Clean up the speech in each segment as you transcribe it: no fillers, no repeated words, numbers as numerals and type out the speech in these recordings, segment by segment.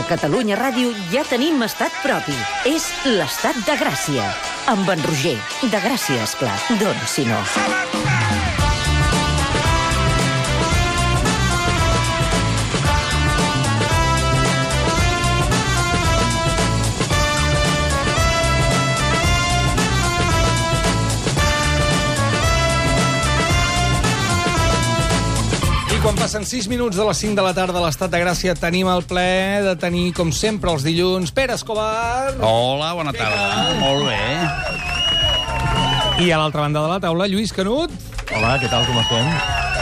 Catalunya Ràdio ja tenim estat propi. És l'Estat de Gràcia. Amb en Roger. De Gràcia, esclar. D'on, si no? Quan passen 6 minuts de les 5 de la tarda a l'Estat de Gràcia, tenim el plaer de tenir, com sempre, els dilluns, Pere Escobar. Hola, bona tarda. Molt bé. I a l'altra banda de la taula, Lluís Canut. Hola, què tal, com estem?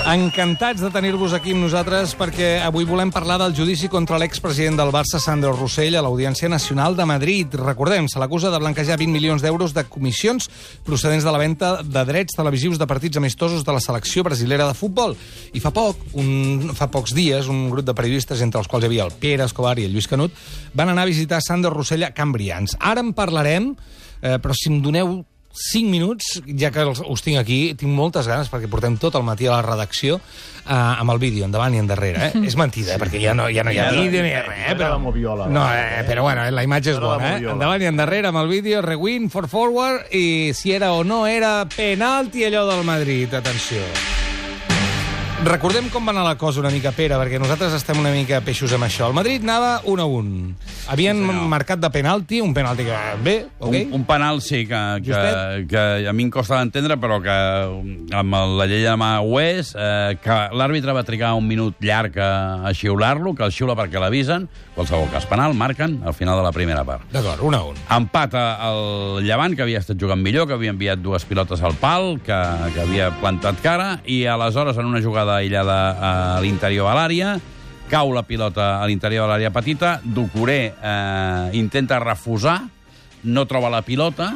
Encantats de tenir-vos aquí amb nosaltres perquè avui volem parlar del judici contra l'expresident del Barça, Sandro Rosell, a l'Audiència Nacional de Madrid. Recordem, se l'acusa de blanquejar 20 milions d'euros de comissions procedents de la venda de drets televisius de partits amistosos de la selecció brasilera de futbol. I fa pocs dies, un grup de periodistes, entre els quals hi havia el Pere Escobar i el Lluís Canut, van anar a visitar Sandro Rosell a Can Brians. Ara en parlarem, però si em doneu 5 minuts, ja que us tinc aquí, tinc moltes ganes, perquè portem tot el matí a la redacció amb el vídeo, endavant i endarrere. És mentida, perquè ja no hi ha vídeo ni res. Però bueno, la imatge és bona. Endavant i endarrere amb el vídeo, rewind, forward, i si era o no era penalti allò del Madrid. Atenció. Recordem com va anar la cosa una mica, Pere, perquè nosaltres estem una mica peixos amb això. El Madrid anava 1-1. Havien marcat de penalti, un penalti que... Bé, ok? Un penal, sí, que a mi em costa d'entendre, però que amb la llei de mà ho és, que l'àrbitre va trigar un minut llarg a xiular-lo, que el xiula perquè l'avisen, qualsevol cas penal, marquen al final de la primera part. D'acord, 1-1. Empat el Llevant, que havia estat jugant millor, que havia enviat 2 pilotes al pal, que havia plantat cara, i aleshores, en una jugada aïllada a l'interior de l'àrea, cau la pilota a l'interior de l'àrea petita, Doucouré intenta refusar, no troba la pilota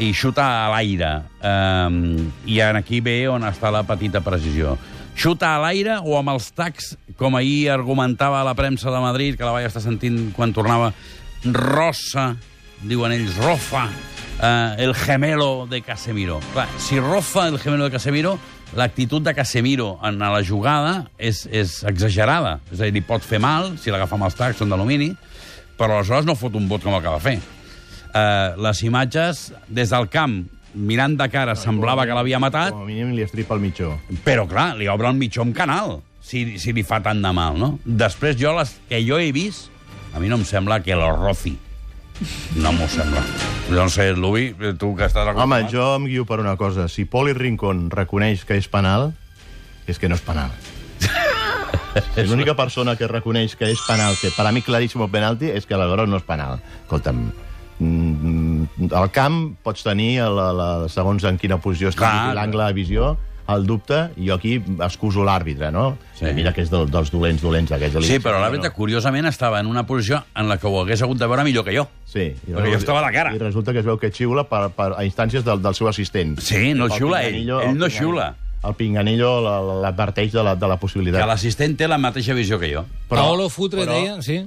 i xuta a l'aire. I aquí ve on està la petita precisió. Xuta a l'aire o amb els tacs, com ahir argumentava la premsa de Madrid, que la vaig estar sentint quan tornava, rosa, diuen ells, rofa, el gemelo de Casemiro. Clar, si rofa el gemelo de Casemiro, l'actitud de Casemiro en la jugada és exagerada. És a dir, li pot fer mal, si l'agafa amb els tacs, són d'alumini, però aleshores no fot un bot com el que va fer. Les imatges, des del camp, mirant de cara, semblava que l'havia matat. Com a mínim li estripa el mitjó. Però, clar, li obre el mitjó amb canal, si li fa tant de mal, no? Després, les que jo he vist, a mi no em sembla que lo roci. No m'ho sembla. No sé, Luis, tu que estàs... Home, jo em guio per una cosa. Si Poli Rincón reconeix que és penal, és que no és penal. És l'única persona que reconeix que és penal, que per a mi claríssim penalti, és que aleshores no és penal. Escolta'm, al camp pots tenir, segons en quina posició estigui l'angle de visió, el dubte, i jo aquí excuso l'àrbitre, no? Sí. Mira que és dels dolents aquests. Sí, però l'àrbitre, curiosament, estava en una posició en la que ho hagués hagut de veure millor que jo. Sí. Perquè jo estava a la cara. I resulta que es veu que xiula a instàncies del seu assistent. Sí, no xiula ell no xiula. El Pinganillo l'adverteix de la possibilitat. Que l'assistent té la mateixa visió que jo. Paolo Futre deia, sí?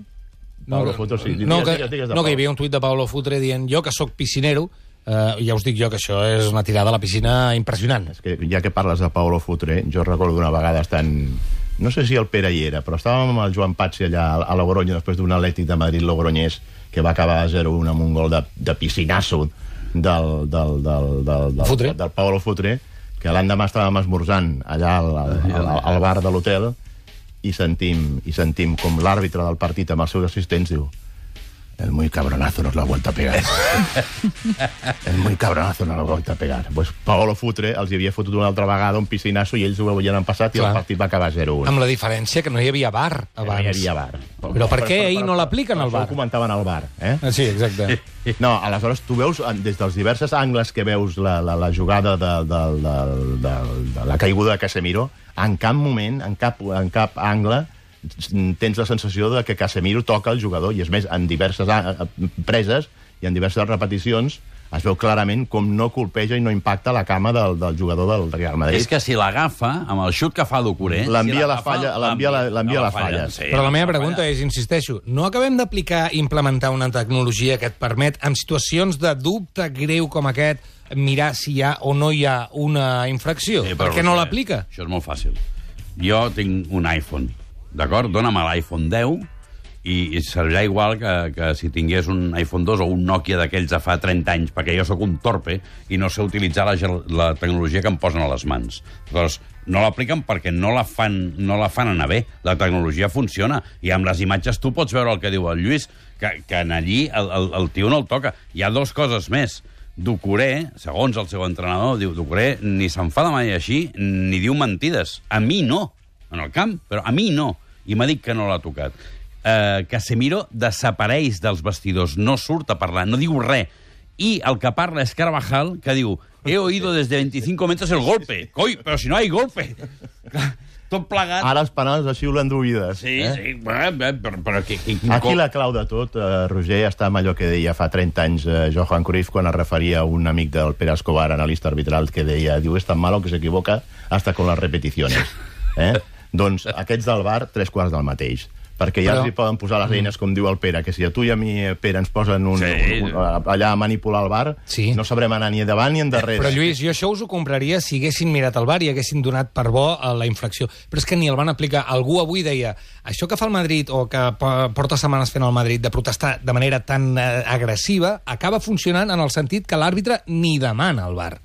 Paolo Futre, sí. No, que hi havia un tuit de Paolo Futre dient jo, que sóc piscinero, ja us dic jo que això és una tirada a la piscina impressionant. És que ja que parles de Paolo Futre, jo recordo una vegada estant... No sé si el Pere hi era, però estàvem amb el Joan Patsi allà a Logroño, després d'un Atlètic de Madrid Logroñés, que va acabar a 0-1 amb un gol de piscinasso del Paolo Futre, que l'endemà estàvem esmorzant allà al bar de l'hotel i sentim com l'àrbitre del partit amb els seus assistents diu: el muy cabronazo nos lo ha vuelto a pegar. El muy cabronazo nos lo ha vuelto a pegar. Pues Paolo Futre els hi havia fotut una altra vegada un piscinasso i ells ho havien passat i el partit va acabar 0-1. Amb la diferència que no hi havia VAR abans. No hi havia VAR. Però per què ahir no l'apliquen al VAR? Això ho comentaven al VAR, eh? Sí, exacte. No, aleshores tu veus, des dels diversos angles que veus la jugada de la caiguda de Casemiro, en cap moment, en cap angle, tens la sensació de que Casemiro toca el jugador, i és més, en diverses preses i en diverses repeticions es veu clarament com no colpeja i no impacta la cama del jugador del Real Madrid. És que si l'agafa, amb el xut que fa Doucouré... L'envia a la falla. Sí, però la meva pregunta és, insisteixo, no acabem d'aplicar i implementar una tecnologia que et permet, en situacions de dubte greu com aquest, mirar si hi ha o no hi ha una infracció? Per què no l'aplica? Això és molt fàcil. Jo tinc un iPhone, d'acord? Dóna'm l'iPhone 10 I servirà igual que si tingués un iPhone 2 o un Nokia d'aquells de fa 30 anys, perquè jo sóc un torpe i no sé utilitzar la tecnologia que em posen a les mans. Llavors, no l'apliquen perquè no la fan anar bé. La tecnologia funciona i amb les imatges tu pots veure el que diu el Lluís, que en allí el tio no el toca. Hi ha dues coses més. Doucouré, segons el seu entrenador, diu Doucouré ni s'enfada mai així ni diu mentides. A mi no, en el camp, però a mi no. I m'ha dit que no l'ha tocat. Casemiro desapareix dels vestidors, no surt a parlar, no diu res. I el que parla és Carvajal, que diu he oído desde 25 metros el golpe. Coi, però si no hay golpe. Tot plegat. Ara els penals així ho l'enduïdes. Sí, sí, però Aquí la clau de tot, Roger, està amb allò que deia fa 30 anys Johan Cruyff quan es referia a un amic del Pere Escobar, analista arbitral, que deia, diu, és tan malo que s'equivoca hasta con las repeticiones. Doncs aquests del VAR, 3/4 del mateix. Perquè ja els poden posar les eines, com diu el Pere, que si a tu i a mi, Pere, ens posen allà a manipular el VAR, no sabrem anar ni endavant ni endarrere. Però, Lluís, jo això us ho compraria si haguessin mirat el VAR i haguessin donat per bo la infracció. Però és que ni el van aplicar. Algú avui deia, això que fa el Madrid, o que porta setmanes fent el Madrid, de protestar de manera tan agressiva, acaba funcionant en el sentit que l'àrbitre ni demana el VAR.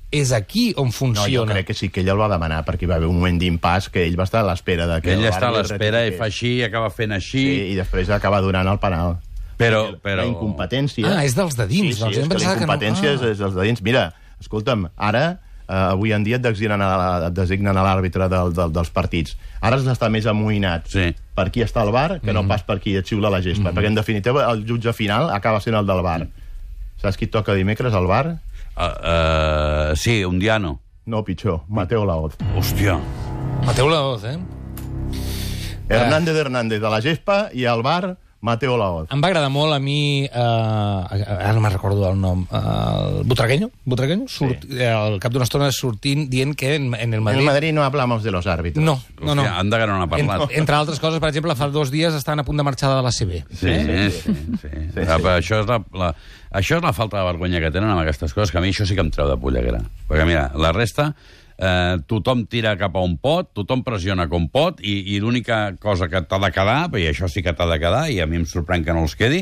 És aquí on funciona. No, jo crec que sí que ell el va demanar, perquè hi va haver un moment d'impàs que ell va estar a l'espera de que... Ell està a l'espera i fa així, acaba fent així... Sí, i després acaba donant el penal. Però... La incompetència... és dels de dins. Sí, és que la incompetència és dels de dins. Mira, escolta'm, ara, avui en dia et designen a l'àrbitre dels partits. Ara has d'estar més amoïnat per qui està al VAR que no pas per qui et xiula la gespa. Perquè, en definitiva, el jutge final acaba sent el del VAR. Saps qui toca dimecres al VAR? Sí, un Diano. No, pitjor, Mateo Laoz. Hòstia. Mateo Laoz, Hernández de la gespa i al VAR Mateo Laoz. Em va agradar molt a mi, ara no me'n recordo el nom, el Butragueño, al cap d'una estona sortint dient que en el Madrid... En el Madrid no hablamos de los árbitros. No. Anda que no n'ha parlat. Entre altres coses, per exemple, fa 2 dies estaven a punt de marxar de l'ACB. Sí. Això és la falta de vergonya que tenen amb aquestes coses, que a mi això sí que em treu de polleguera. Perquè, mira, la resta... tothom tira cap a un pot, tothom pressiona com pot, i l'única cosa que t'ha de quedar, i això sí que t'ha de quedar, i a mi em sorprèn que no els quedi,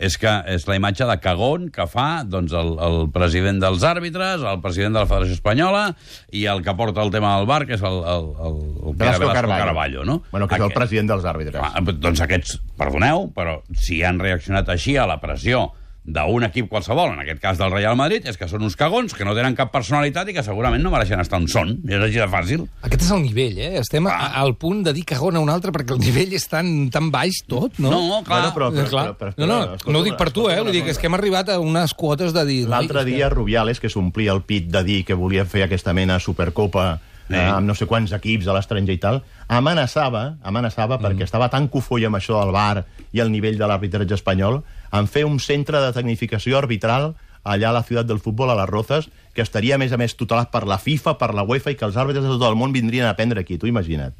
és la imatge de cagón que fa doncs, el president dels àrbitres, el president de la Federació Espanyola, i el que porta el tema del VAR, que és el Velasco Carballo, no? Bueno, que és el president dels àrbitres. Doncs aquests, perdoneu, però si han reaccionat així a la pressió d'un equip qualsevol, en aquest cas del Real Madrid, és que són uns cagons que no tenen cap personalitat i que segurament no mereixen estar on són. És així de fàcil. Aquest és el nivell, Estem al punt de dir cagón a un altre perquè el nivell és tan baix tot, no? No, clar. No ho dic per tu, ho dic, és que hem arribat a unes quotes de dir... L'altre dia Rubiales, que s'omplia el pit de dir que volia fer aquesta mena de Supercopa amb no sé quants equips a l'estranger i tal, amenaçava perquè estava tan cofoi amb això del VAR i el nivell de l'arbitratge espanyol, en fer un centre de tecnificació arbitral allà a la ciutat del futbol, a les Rozas, que estaria, a més, tutelat per la FIFA, per la UEFA, i que els àrbitres de tot el món vindrien a aprendre aquí. Tu imagina't.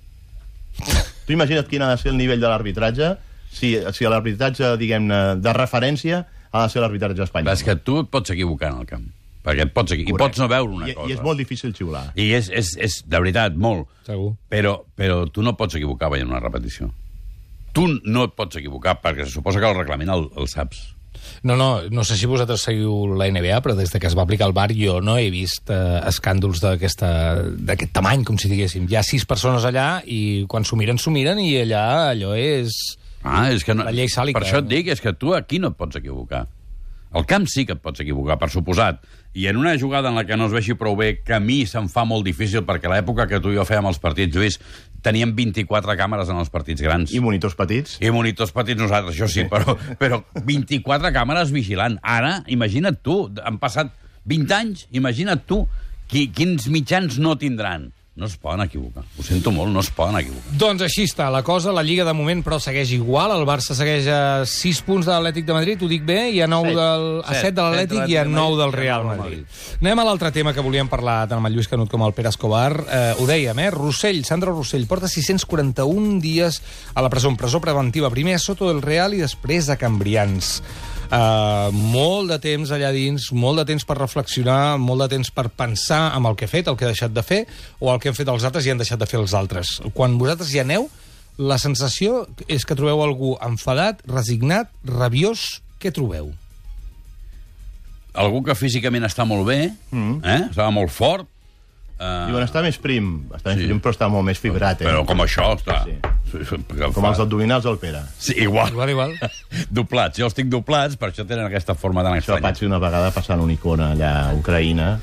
Tu imagina't quin ha de ser el nivell de l'arbitratge si l'arbitratge, diguem-ne, de referència ha de ser l'arbitratge espanyol. És que tu et pots equivocar en el camp. Perquè et pots equivocar. I pots no veure una cosa. I és molt difícil xiular. I és de veritat, molt. Segur. Però tu no pots equivocar veient una repetició. Tu no et pots equivocar, perquè se suposa que el reglament el saps. No sé si vosaltres seguiu la NBA, però des que es va aplicar el VAR jo no he vist escàndols d'aquest tamany, com si diguéssim. Hi ha 6 persones allà i quan s'ho miren, i allà allò és... És que no, la llei sàlica. Per això et dic, és que tu aquí no et pots equivocar. Al camp sí que et pots equivocar, per suposat. I en una jugada en la que no es vegi prou bé, que a mi se'm fa molt difícil, perquè a l'època que tu i jo fèiem els partits, Lluís, teníem 24 càmeres en els partits grans. I monitors petits. I monitors petits nosaltres, això sí, però 24 càmeres vigilant. Ara, imagina't tu, han passat 20 anys, imagina't tu, quins mitjans no tindran. No es poden equivocar. Ho sento molt, no es poden equivocar. Doncs així està la cosa. La Lliga de moment, però, segueix igual. El Barça segueix a 6 punts de l'Atlètic de Madrid, ho dic bé, i a 7 de l'Atlètic i a 9 del Real Madrid. Anem a l'altre tema que volíem parlar tant amb el Lluís Canut com el Pere Escobar. Ho dèiem, Sandro Rossell porta 641 dies a la presó, en presó preventiva. Primer a Soto del Real i després a Cambrians. Molt de temps allà dins, molt de temps per reflexionar, molt de temps per pensar en el que ha fet, el que ha deixat de fer, o el que han fet els altres i han deixat de fer els altres. Quan vosaltres hi aneu, La sensació és que trobeu algú enfadat, resignat, rabiós. Què trobeu? Algú que físicament està molt bé, estava molt fort. Diuen, està més prim, però està molt més fibrat. Però com això, està... Com els abdominals del Pere. Sí, igual. Igual. Doblats. Jo els tinc doblats, per això tenen aquesta forma tan estranya. Això vaig fer una vegada passant una icona allà a Ucraïna,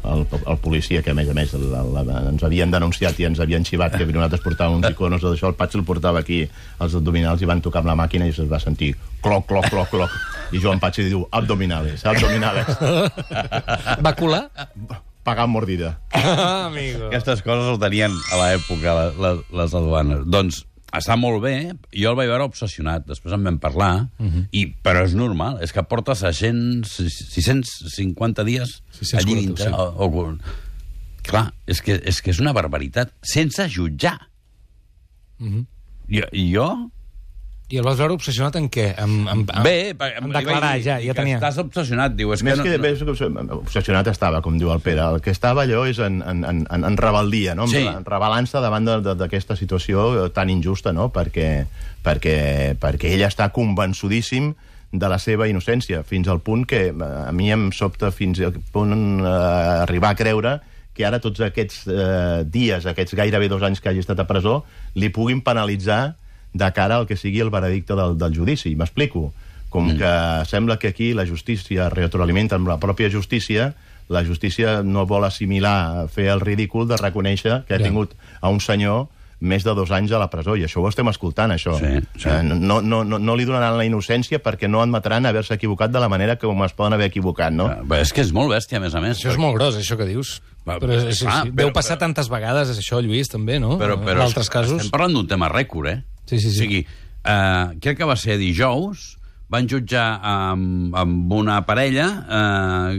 el policia, que a més ens havien denunciat i ens havien xivat que nosaltres portàvem uns iconos o d'això, el Patxi el portava aquí als abdominals i van tocar amb la màquina i es va sentir cloc, cloc, cloc, cloc. I Joan Patxi diu, abdominales. Va colar? Pagant mordida. Amigo. Aquestes coses ho tenien a l'època les aduanes. Doncs està molt bé, jo el vaig veure obsessionat, després en vam parlar, però és normal, és que porta 650 dies allí dintre. Clar, és que és una barbaritat, sense jutjar. Jo... I el vas veure obsessionat en què? En declarar, ja tenia... Estàs obsessionat, diu. Més que obsessionat estava, com diu el Pere. El que estava allò és en rebel·lia, no? En rebel·lança davant d'aquesta situació tan injusta, no? Perquè ell està convençudíssim de la seva innocència, fins al punt que a mi em sobta fins al punt arribar a creure que ara tots aquests dies, aquests gairebé 2 anys que hagi estat a presó, li puguin penalitzar de cara al que sigui el veredicte del judici. M'explico. Com que sembla que aquí la justícia retroalimenta amb la pròpia justícia, la justícia no vol assimilar, fer el ridícul de reconèixer que ha tingut a un senyor més de 2 anys a la presó, i això ho estem escoltant, això. No li donaran la innocència perquè no admetran haver-se equivocat de la manera com es poden haver equivocat, no? És que és molt bèstia, a més a més. Això és molt gros, això que dius. Deu passar tantes vegades, això, Lluís, també, no? En altres casos. Estem parlant d'un tema rècord, eh? Sí. O sigui, crec que va ser dijous, van jutjar amb una parella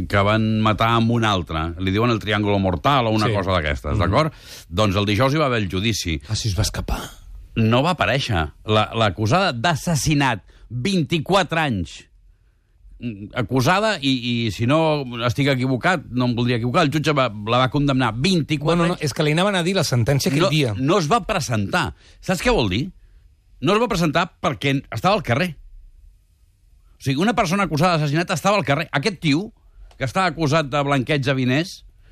que van matar amb una altra. Li diuen el triàngul mortal o una cosa d'aquestes, d'acord? Doncs el dijous hi va haver el judici. Si es va escapar. No va aparèixer. L'acusada d'assassinat, 24 anys, acusada, i si no estic equivocat, no em voldria equivocar, el jutge la va condemnar 24 anys. No, és que li anaven a dir la sentència aquell dia. No es va presentar. Saps què vol dir? No es va presentar perquè estava al carrer. O sigui, una persona acusada d'assassinat estava al carrer. Aquest tio, que està acusat de blanqueig de diners,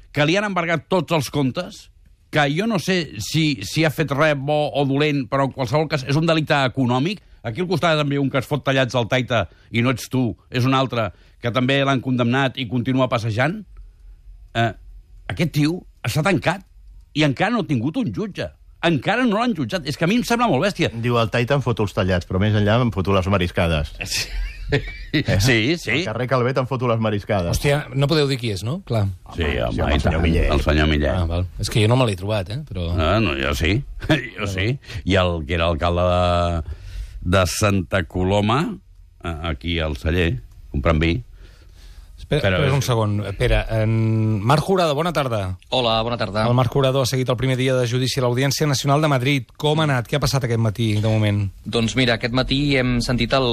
que li han embargat tots els comptes, que jo no sé si ha fet res bo o dolent, però en qualsevol cas és un delicte econòmic. Aquí al costat també un que es fot tallats al taita i no ets tu, és un altre que també l'han condemnat i continua passejant. Aquest tio està tancat i encara no ha tingut un jutge. Encara no l'han jutjat. És que a mi em sembla molt bèstia. Diu, al taita em foto els tallats, però més enllà em foto les mariscades. Sí. Al carrer Calvet em foto les mariscades. Hòstia, no podeu dir qui és, no? Clar. Sí, home, el senyor Millet. El senyor Millet. Val. És que jo no me l'he trobat, però... No, jo sí. Jo sí. I el que era alcalde de Santa Coloma, aquí al celler, comprant vi. Espera un segon. Pere, Marc Jurado, bona tarda. Hola, bona tarda. El Marc Jurado ha seguit el primer dia de judici a l'Audiència Nacional de Madrid. Com ha anat? Què ha passat aquest matí, de moment? Doncs mira, aquest matí hem sentit el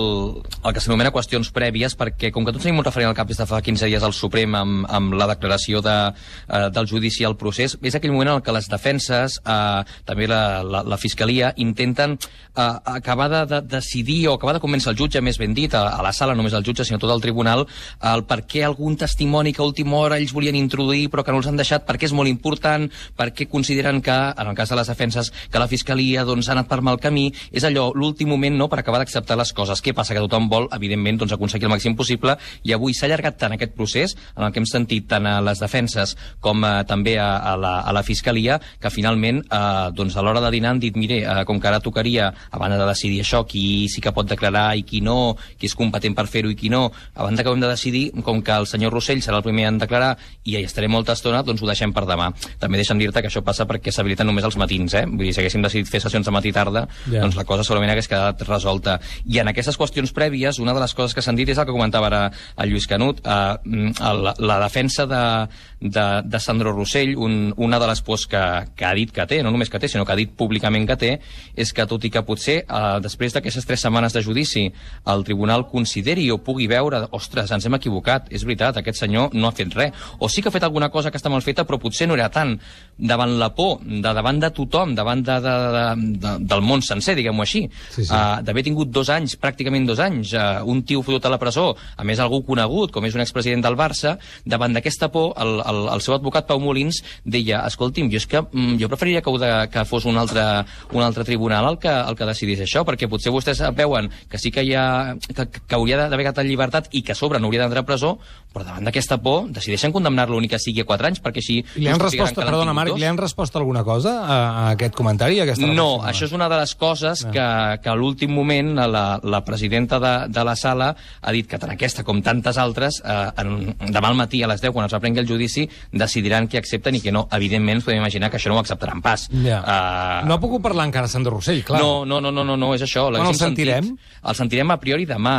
que s'anomena qüestions prèvies, perquè com que tots tenim un referent al cap des de fa 15 dies al Suprem amb la declaració del judici al procés, és aquell moment en què les defenses, també la Fiscalia, intenten acabar de decidir o acabar de convèncer el jutge, més ben dit, a la sala, només el jutge, sinó tot el tribunal, el per què algun testimoni que a última hora ells volien introduir però que no els han deixat, perquè és molt important, perquè consideren que, en el cas de les defenses, que la Fiscalia ha anat per mal camí. És allò, l'últim moment, no?, per acabar d'acceptar les coses. Què passa? Que tothom vol, evidentment, aconseguir el màxim possible, i avui s'ha allargat tant aquest procés, en el que hem sentit tant a les defenses com també a la Fiscalia, que finalment, a l'hora de dinar han dit, mire, com que ara tocaria, abans de decidir això, qui sí que pot declarar i qui no, qui és competent per fer-ho i qui no, abans que hem de decidir, com que el senyor Rossell serà el primer a declarar i hi estaré molta estona, doncs ho deixem per demà. També deixa'm dir-te que això passa perquè s'habiliten només els matins, Vull dir, si haguéssim decidit fer sessions de matí i tarda, doncs la cosa segurament hagués quedat resolta. I en aquestes qüestions prèvies, una de les coses que s'han dit és el que comentava ara el Lluís Canut, la defensa de Sandro Rossell, una de les pors que ha dit que té, no només que té, sinó que ha dit públicament que té, és que tot i que potser després d'aquestes 3 setmanes de judici el tribunal consideri o pugui veure, ostres, ens hem equivocat, és és veritat, aquest senyor no ha fet res. O sí que ha fet alguna cosa que està mal feta, però potser no era tant davant la por, davant de tothom, davant del món sencer, diguem-ho així. D'haver tingut 2 anys, pràcticament 2 anys, un tio fotut a la presó, a més algú conegut, com és un expresident del Barça, davant d'aquesta por, el seu advocat Pau Molins deia, escolti'm, jo preferiria que fos un altre tribunal el que decidís això, perquè potser vostès veuen que sí que hauria d'haver quedat en llibertat i que a sobre no hauria d'entrar a presó, però davant d'aquesta por decideixen condemnar-lo ni que sigui a 4 anys, perquè així... Li han respost, perdona Marc, li han respost alguna cosa a aquest comentari? No, això és una de les coses que a l'últim moment la presidenta de la sala ha dit que tant aquesta com tantes altres demà al matí a les 10, quan es reprengui el judici, decidiran què accepten i què no. Evidentment, ens podem imaginar que això no ho acceptaran pas. No ha pogut parlar encara Sandro Rossell, clar. No, és això. Quan el sentirem? El sentirem a priori demà.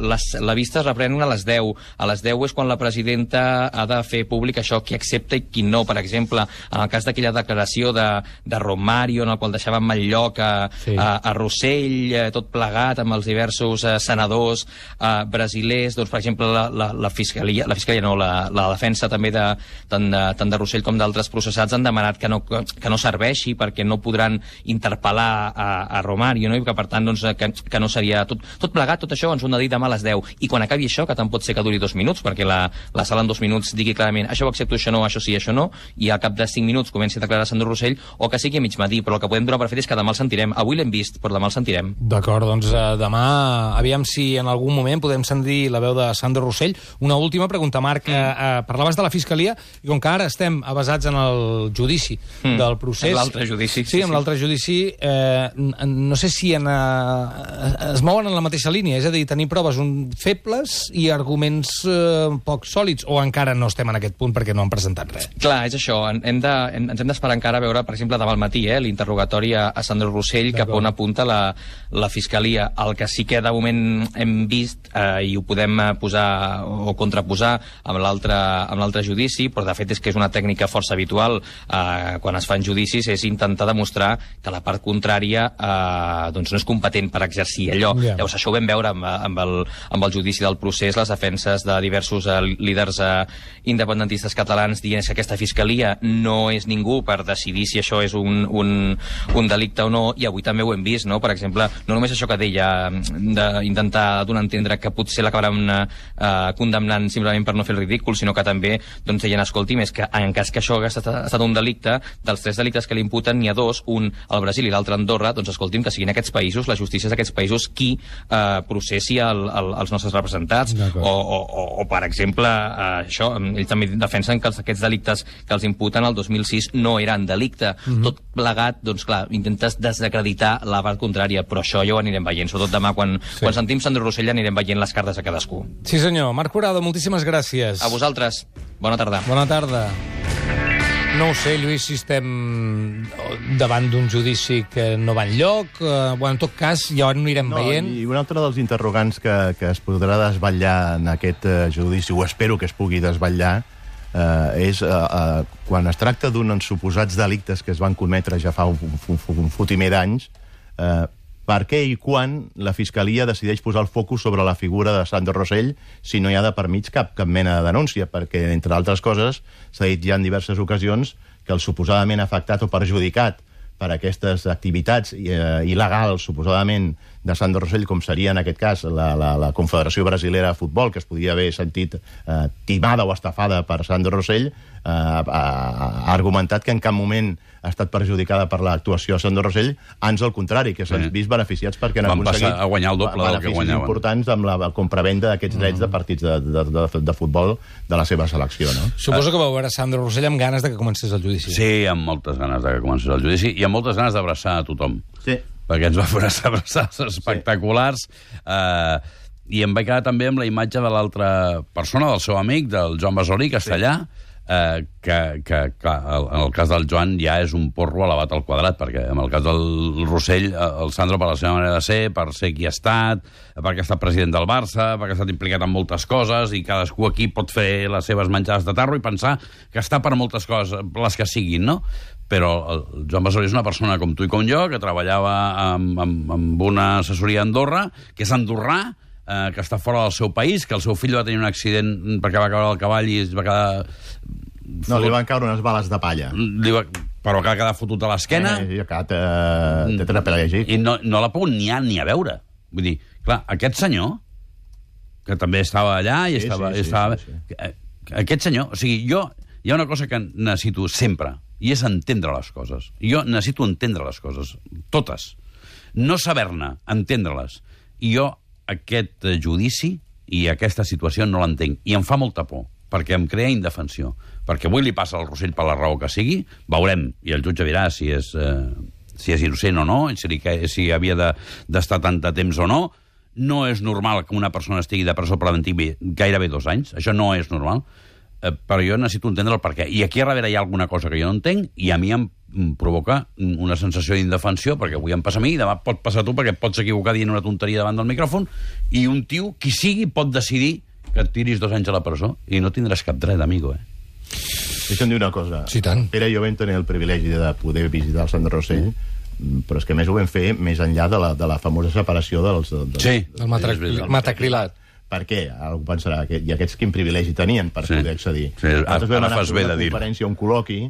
La vista es reprèn a les 10. A les 10 és quan la presidenta ha de fer públic això, qui accepta i qui no. Per exemple, en el cas d'aquella declaració de Romario, en el qual deixava en mal lloc a Rossell, tot plegat amb els diversos senadors brasilers, doncs, per exemple, la fiscalia no, la defensa també tant de Rossell com d'altres processats han demanat que no serveixi perquè no podran interpel·lar a Romario, no? I que per tant doncs, que no seria tot plegat, tot això ens ho han de dir demà a les 10, i quan acabi això, que tant pot ser que duri 2 minuts, perquè la sala en 2 minuts digui clarament això ho accepto, això no, això sí, això no, i al cap de 5 minuts comenci a declarar Sandro Rossell, o que sigui a mig matí, però el que podem donar per fet és que demà el sentirem. Avui l'hem vist, però demà el sentirem. D'acord, doncs demà aviam si en algun moment podem sentir la veu de Sandro Rossell. Una última pregunta, Marc. Parlaves de la Fiscalia, i com que ara estem avasats en el judici del procés... En l'altre judici. Sí, en l'altre judici. No sé si es mouen en la mateixa línia, és a dir, tenir proves febles i arguments poc sòlids, o encara no estem en aquest punt perquè no han presentat res? Clar, és això. Ens hem d'esperar encara a veure, per exemple, demà al matí, l'interrogatori a Sandro Rossell, cap on apunta la Fiscalia. El que sí que de moment hem vist, i ho podem posar o contraposar amb l'altre judici, però de fet és que és una tècnica força habitual quan es fan judicis, és intentar demostrar que la part contrària doncs no és competent per exercir allò. Llavors, això ho vam veure amb el judici del procés, les defenses de diversos líders independentistes catalans dient que aquesta Fiscalia no és ningú per decidir si això és un delicte o no, i avui també ho hem vist, no? Per exemple, no només això que deia d'intentar donar a entendre que potser l'acabaran condemnant simplement per no fer el ridícul, sinó que també doncs, deien, escolti'm, és que en cas que això hagués estat un delicte, dels 3 delictes que li imputen n'hi ha 2, un al Brasil i l'altre a Andorra, doncs escolti'm, que siguin aquests països, la justícia d'aquests països, qui processi els nostres representats, o per exemple, això, ells també defensen que aquests delictes que els imputen el 2006 no eren delicte. Tot plegat, doncs clar, intentes desacreditar la part contrària, però això ja ho anirem veient, sobretot demà, quan sentim Sandro Rossell anirem veient les cartes a cadascú. Sí senyor. Marc Curado, moltíssimes gràcies. A vosaltres. Bona tarda. Bona tarda. No ho sé, Lluís, si estem davant d'un judici que no va enlloc. En tot cas, ja ho anirem veient. I un altre dels interrogants que es podrà desvetllar en aquest judici, o espero que es pugui desvetllar, és quan es tracta d'uns suposats delictes que es van cometre ja fa un fotimer d'anys, per què i quan la Fiscalia decideix posar el focus sobre la figura de Sandro Rossell si no hi ha de per mig cap mena de denúncia? Perquè, entre altres coses, s'ha dit ja en diverses ocasions que el suposadament afectat o perjudicat per aquestes activitats il·legals, suposadament, de Sandro Rossell, com seria en aquest cas la Confederació Brasilera de Futbol, que es podia haver sentit timada o estafada per Sandro Rossell, ha argumentat que en cap moment ha estat perjudicada per l'actuació de Sandro Rossell, ans al contrari, que s'han vist beneficiats perquè han aconseguit a guanyar el doble del que guanyaven. Beneficis importants amb la compravenda d'aquests drets de partits de futbol de la seva selecció, no? Suposo que vau veure Sandro Rossell amb ganes de que comencés el judici. Sí, amb moltes ganes de que comencés el judici i amb moltes ganes d'abraçar a tothom. Sí. Perquè ens va fer unes abraçades espectaculars. I em vaig quedar també amb la imatge de l'altra persona, del seu amic, del Joan Basolí, castellà, que clar, en el cas del Joan ja és un porro elevat al quadrat, perquè en el cas del Rossell, el Sandro, per la seva manera de ser, per ser qui ha estat, perquè ha estat president del Barça, perquè ha estat implicat en moltes coses, i cadascú aquí pot fer les seves menjades de tarro i pensar que està per moltes coses, les que siguin, no? Però el Joan Basolí és una persona com tu i com jo, que treballava amb una assessoria a Andorra, que és andorrà, que està fora del seu país, que el seu fill va tenir un accident perquè va caure al cavall i es va quedar... No, li van caure unes bales de palla. Però que ha quedat fotut a l'esquena. I ha quedat tetrapelègic. I no l'ha pogut ni a veure. Vull dir, clar, aquest senyor, que també estava allà i estava... Aquest senyor... O sigui, hi ha una cosa que necessito sempre, i és entendre les coses. Jo necessito entendre les coses, totes. No saber-ne, entendre-les. I jo aquest judici i aquesta situació no l'entenc. I em fa molta por, perquè em crea indefensió. Perquè avui li passa al Rossell per la raó que sigui, veurem, i el jutge dirà si és innocent o no, si havia d'estar tant de temps o no. No és normal que una persona estigui de presó preventiva gairebé 2 anys. Això no és normal. Però jo necessito entendre el perquè. I aquí a darrere hi ha alguna cosa que jo no entenc i a mi em provoca una sensació d'indefensió, perquè avui em passa a mi i demà pot passar a tu, perquè et pots equivocar dient una tonteria davant del micròfon, i un tio, qui sigui, pot decidir que et tiris 2 anys a la presó i no tindràs cap dret, amigo, Deixa'm dir una cosa. Sí, tant. Pere i jo vam tenir el privilegi de poder visitar el Sandro Rossell, però és que més ho vam fer més enllà de la famosa separació del metacrilat. Per què? Algú pensarà que i aquests quin privilegi tenien per poder accedir. Ara fas bé de dir-ho. Conferència, un col·loqui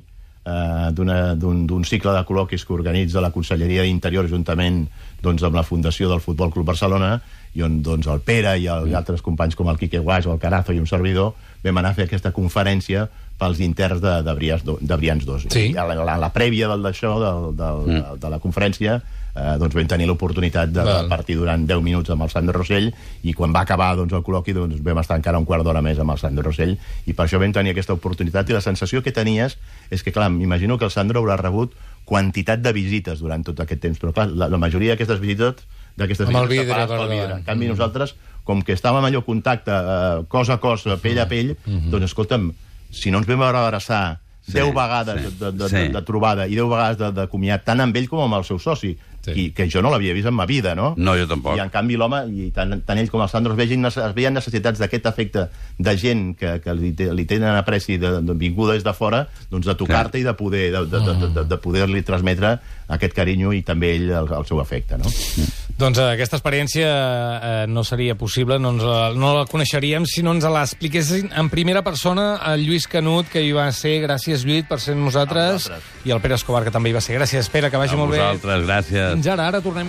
d'un cicle de col·loquis que organitza la Conselleria d'Interior juntament amb la Fundació del Futbol Club Barcelona, i on el Pere i altres companys com el Quique Guaix, el Carazo i un servidor vam anar a fer aquesta conferència pels interns de Brians 2. Sí. I a la prèvia d'això, de la conferència, vam tenir l'oportunitat de partir durant 10 minuts amb el Sandro Rossell, i quan va acabar el col·loqui vam estar encara un quart d'hora més amb el Sandro Rossell, i per això vam tenir aquesta oportunitat, i la sensació que tenies és que, clar, m'imagino que el Sandro haurà rebut quantitat de visites durant tot aquest temps, però clar, la majoria d'aquestes visites separades pel vidre. En canvi, nosaltres, com que estàvem allò contacte, cos a cos, pell a pell, doncs escolta'm, si no ens vam abraçar 10 vegades de trobada i 10 vegades de comiat, tant amb ell com amb el seu soci, que jo no l'havia vist en ma vida, no? No, jo tampoc. I en canvi l'home, i tant ell com el Sandro, es veien necessitats d'aquest efecte de gent que li tenen apreci vinguda des de fora, doncs de tocar-te i de poder-li transmetre aquest carinyo i també ell el seu afecte, no? Doncs aquesta experiència no seria possible, no la coneixeríem si no ens la expliquessin en primera persona el Lluís Canut, que hi va ser. Gràcies, Lluís, per ser amb nosaltres. I el Pere Escobar, que també hi va ser. Gràcies, Pere, que vagi molt bé. A vosaltres, gràcies. Fins ara tornem.